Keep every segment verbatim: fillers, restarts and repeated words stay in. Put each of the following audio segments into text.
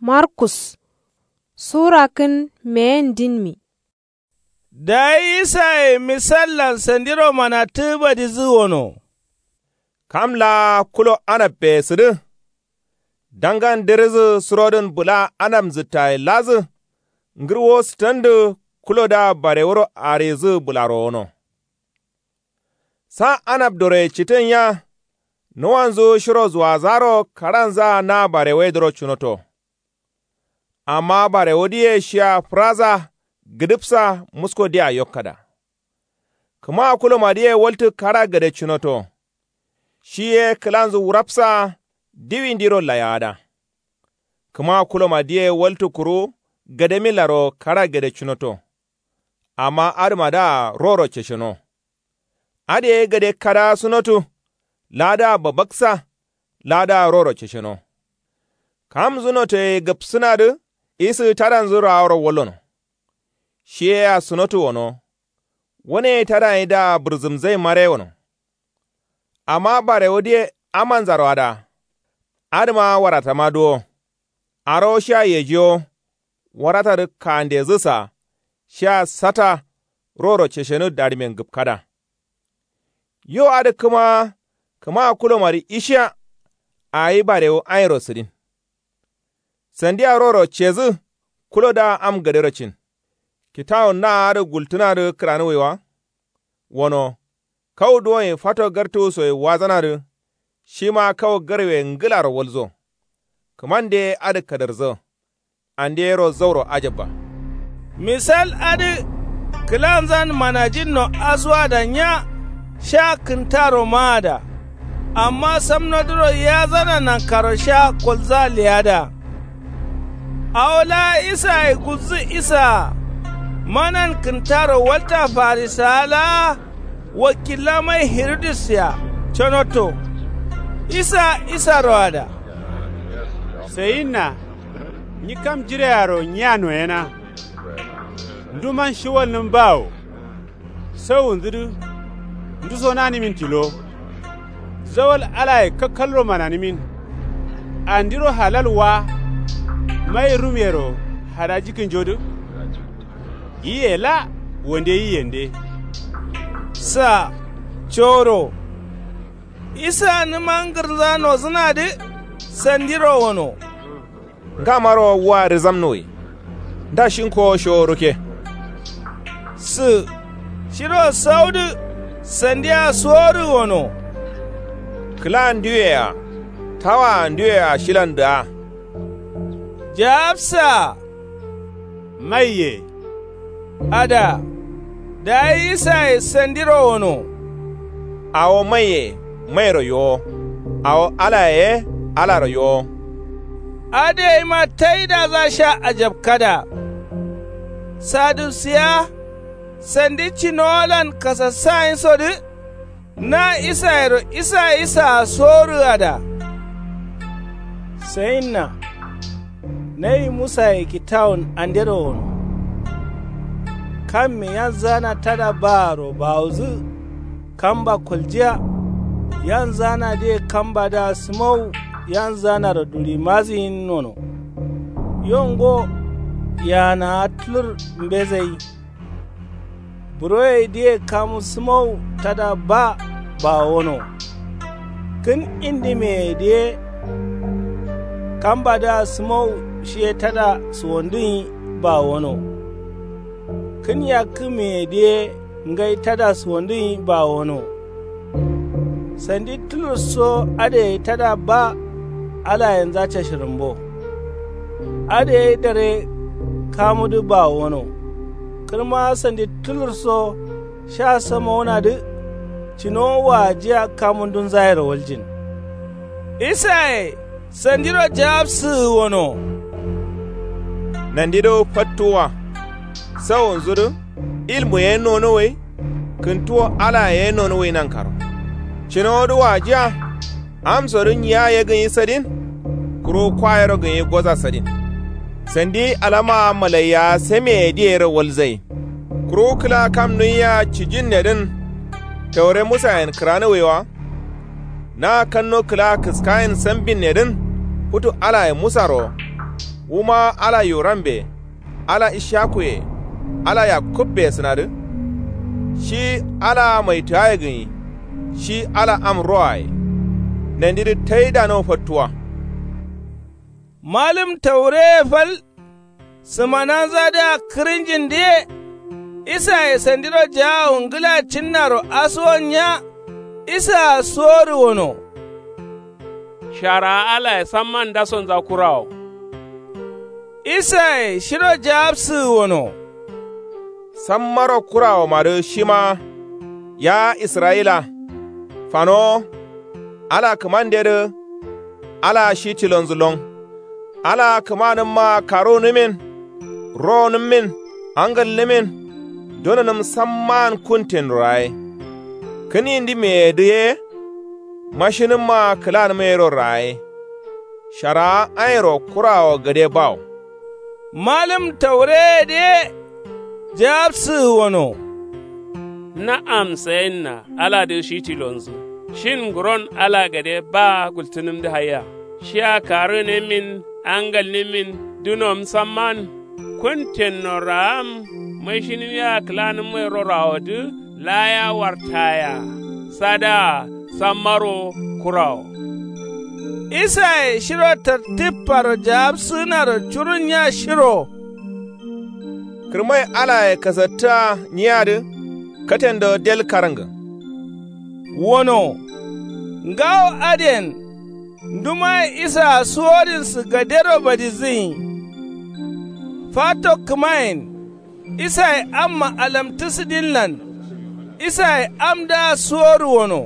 Markus. Sura kǝn meyen dinmi. Dayi isaye misallan sandiro manatǝ badizǝ wono. Kam laa kulo anabbe sǝdǝ. Dangan dirizǝ surodǝn bǝla anab nzǝttaye ladǝ. Ngǝrwo sǝtandǝ kulodǝa barewuro arizǝ bǝlaro wono. Sa anab doroye citǝn ya. Nuwanzu shiro zuwazaro karanza na barewedǝro cunoto. Amma barewudǝye shiya fǝraza gǝdǝbsa musko dia yokkada. Kǝma kulomadǝye waltǝ kara gade cunoto. Shi ye kǝlanzǝ wurapsa diwindiro layada. Kǝma kulomadǝye waltǝ kuru gademillaro kara gade cunoto. Amma adǝmadǝa roro cesheno. Adǝ ye gade kada sunotu. Ladǝa babaksa. Ladǝa roro cesheno. Kamnzǝ notoye gapsǝnadǝ isǝ tadanzǝ raaworo wallono. Shi ye asunotu wono. Wane tadaye daa bǝrzǝmzai mare wono. Amma barewudǝye amanzaro ada. Adǝma waratama duwo. Arawo shia yejiwo. Waratadǝ kandezǝsa. Shia sata. Roro ceshenǝ darimen gǝpkada. Yo adǝ kǝma kǝma kulomadǝ ishiya. Awi barewu airo sǝdin. Sandia roro cezǝ. Kulodǝa am gadero cin. Kitawun na adǝ gultǝnadǝ kǝranǝwwi wa. Wono. Kau duwonye fato gartuwu soye wazanadǝ. Shima kau garwe ngǝlaro walzo. Kǝmande adǝ kadarzo. Andeyero zauro ajabba. Misal adǝ. Kǝlanzan manajinno asuwada nya. Sha kǝntaro maada. Amma samnodǝro yazana nankaro sha kolza leyada. Awo laa isaye gulzǝ isaa. Manan kǝntaro walta farisawa laa. Wakilla mai hirudus ya conoto. Isa isaro ada. Sayinna. Nyi kam jirearo nyiya noyena. Nduman shiwalnǝm bawo. Sawunzǝdǝ. Nduso nanǝmin tilo. Zawal alaye kakkalro mananǝmin. Andiro halal wa. Mai rumyero hadaji kǝnjodǝ. Yiye la wande yiyende. Sa. Coro. Isa nǝma ngǝrza nozǝnadǝ. Sandiro wono. Ngamaro wa rizamnuwi. Nda shinko sho ruke. Sǝ. Shiro saudǝ. Sandiya sorǝ wono. Kǝla ndiwea. Tawaa ndiwea shilan dǝa. Jaabsa. Maiye. Ada. Dayi isaye sandiro wono. Awo maiye mairo yowo. Awo alaye ye alaro yowo. Adǝ yema taidadǝa sha ajabkada. Sadusiya. Sandi cinowolan kasassayinsodǝ. Na isayero isa isaa sorǝada. Sayinna. Nayi musaye kitawun andero wono. Kamme yanzana tada baaro bawozǝ. Kamba koljiya. Yanzanadǝye kambadǝa sǝmowu. Yanzanaro duri maziyin wono. Yo ngo. Yaanaa tulur mbezayi. Buroyedǝye kamu sǝmowu tada ba. Bawono. Kǝn indimeyedǝye. Kambadǝa sǝmowu shiye tada suwondǝnyi. Bawono. Kǝn yakkǝmeyedǝye. Ngai tada suwondǝnyi bawono. Sandi tulurso adǝ gai tada ba. Alayenza cashǝrǝmbo. Adǝ gai dare. Kamudǝ bawono. Kǝrma sandi tulurso. Sha samowunadǝ. Cinowo wajiya kamundunzayero waljin. Isaye sandiro jawabsǝgǝ wono. Nandidǝ fattuwwa. Sawunzudǝ. Ilmu ye nonuwwi. Kǝntuwo alaye ye nonuwwi nankaro. Cinowodǝ wajiya. Amsodǝ nyiya ye gǝnyi sadin. Kuru kwayero gǝnyi goza sadin. Sandi alamaa malaiya semeye diyero walzain. Kuru kǝla kam nuiya cijinnedǝn. Taure musayen kǝranuwwi wa. Na kanno kǝla kǝskayen sambinnedǝn. Futu alaye musaro. Wuma ala yorambe, ala ishakuye, ala yakubbe sǝnadǝ. Shi ala maitǝgaye gǝnyi. Shi ala am roaye. Nandidǝ taidano fattuwa. Malǝm taureye fal sǝmananzadǝa kǝrǝnjindǝye. Isaye sandiro jaawu ngǝla cinnaro asuwonnya. Isaa suwodǝ wono. Sharaa alaye samman ndasonza kurawo. Isaye shiro jaabsǝgǝ wono. Sammaro kurawomadǝ shima. Ya israyila. Fanowo. Ala kǝmandedǝ. Alaa shi tilonzǝ lon. Alaa kǝmanǝmmaa karuwunǝmin. Rowonǝmmin. Angalnǝmin. Dononǝm samman kuntennuro yayi. Kǝnindǝmeyedǝ ye. Mashinǝmmaa kǝlanǝmayero raye. Sharaa airo kurawo gade bawo. Malǝm taureyedǝ ye. Jaabsǝgǝ wono. Na'am sayinna. Aladǝ shi tilonzǝ. Shin nguron ala gade baa gultǝnǝmdǝ haiya. Shia karunǝmin. Angalnǝmin. Dunom samman. Kuntenno raam. Mashinǝmiya kǝlanǝmmayero rawodǝ. Laya wartaya. Sadaa. Sammaro. Kurawo. Isaye shiro tartipparo jaabsǝgǝnaro curunnya shiro. Kǝrmai alaye kasattǝa nyiyadǝ. Katendo del karǝngǝ. Wono. Ngawo adǝyen. Ndumaye isaa suwodǝnsǝ gadero badizǝnyi. Fato kǝmayen. Isaye amma alamtǝ sǝdinlan. Isaye amdǝa suwodu wono.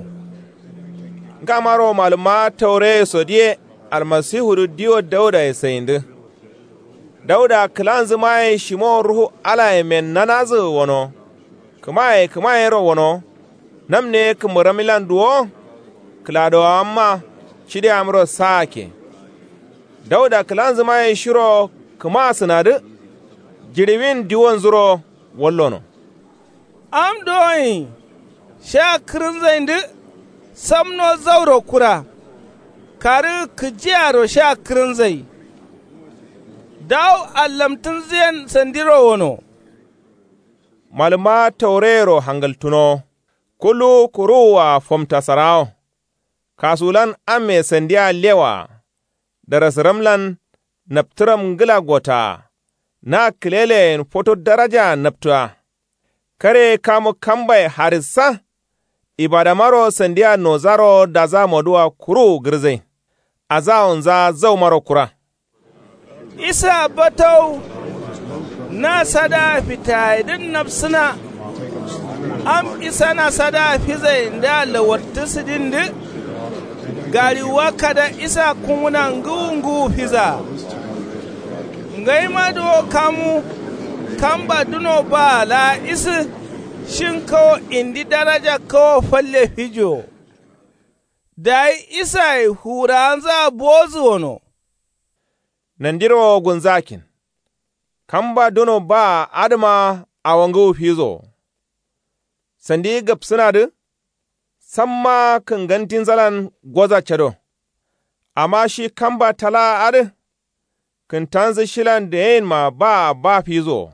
Ngamaro malǝmma taureye sodiye. Almasihudǝ diwo daudaye sayindǝ. Dauda kǝlanzǝmaye shimowo ruhu alaye mennanazǝgǝ wono. Kǝmaye kǝmayero wono. Namne kǝmburammilan duwo. Kǝladowamma. Cideamro saake. Dauda kǝlanzǝmaye shiro kǝmasǝnadǝ. Jiɍiwin diwonzuro. Wallono. Am doyin. Sha kǝrǝnzaindǝ. Samno zauro kura. Karǝ kǝjiyaro sha kǝrǝnzai. Dawu allamtǝnzǝyen sandiro wono. Malǝmma taureyero hangaltǝnowo. Kulluwu kuruwua fomtasarawo. Kasuwulan amme sandia lewaa. Darasǝramlan. Naptǝram ngǝla gotaa. Na kǝleleyen foto darajaa naptǝa. Kare kamu kambaye harissa. Ibadamaro sandia nozaro daza moduwa kuruwu gǝrzain. Azawonza zaumaro kura. Isa batau. Na sadaa fitayedǝn nabsǝna. Am isana sadaa fizayendǝa lawartǝ sǝdindǝ. Gariwuwa kada isa kungǝna ngǝwu ngǝwu fizaa. Ngaima duwo kamu. Kamba duno baa laa isǝ. Shin kawo indi daraja kawo falle fijiwo. Dayi isaye fuwurawanzaa bowozǝ wono. Nandiro gulnzakin. Kamba duno baa adǝma awongǝwu fizowo. Sandi gabsǝnadǝ. Samma kǝngantinzalan goza cado. Amma shi kamba talaa adǝ. Kǝntanzǝ shilan deyinma baa ba fizowo.